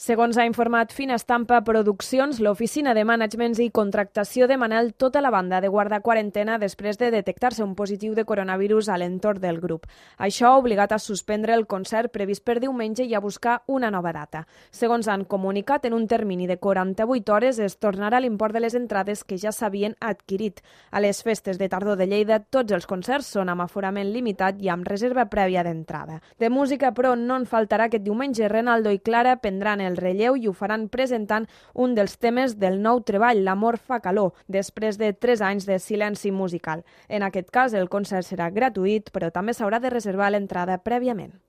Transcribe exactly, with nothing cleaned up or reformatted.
Segons ha informat Fina Estampa Produccions, l'oficina de Managements i Contractació de Manel tota la banda de guardar quarantena després de detectar-se un positiu de coronavirus a l'entorn del grup. Això ha obligat a suspendre el concert previst per diumenge i a buscar una nova data. Segons han comunicat, en un termini de quaranta-vuit hores es tornarà l'import de les entrades que ja s'havien adquirit. A les festes de tardor de Lleida, tots els concerts són amb aforament limitat i amb reserva prèvia d'entrada. De música, però, no en faltarà aquest diumenge. Renaldo i Clara prendran el relleu i ho faran presentant un dels temes del nou treball, L'amor fa calor, després de tres anys de silenci musical. En aquest cas, el concert serà gratuït, però també s'haurà de reservar l'entrada prèviament.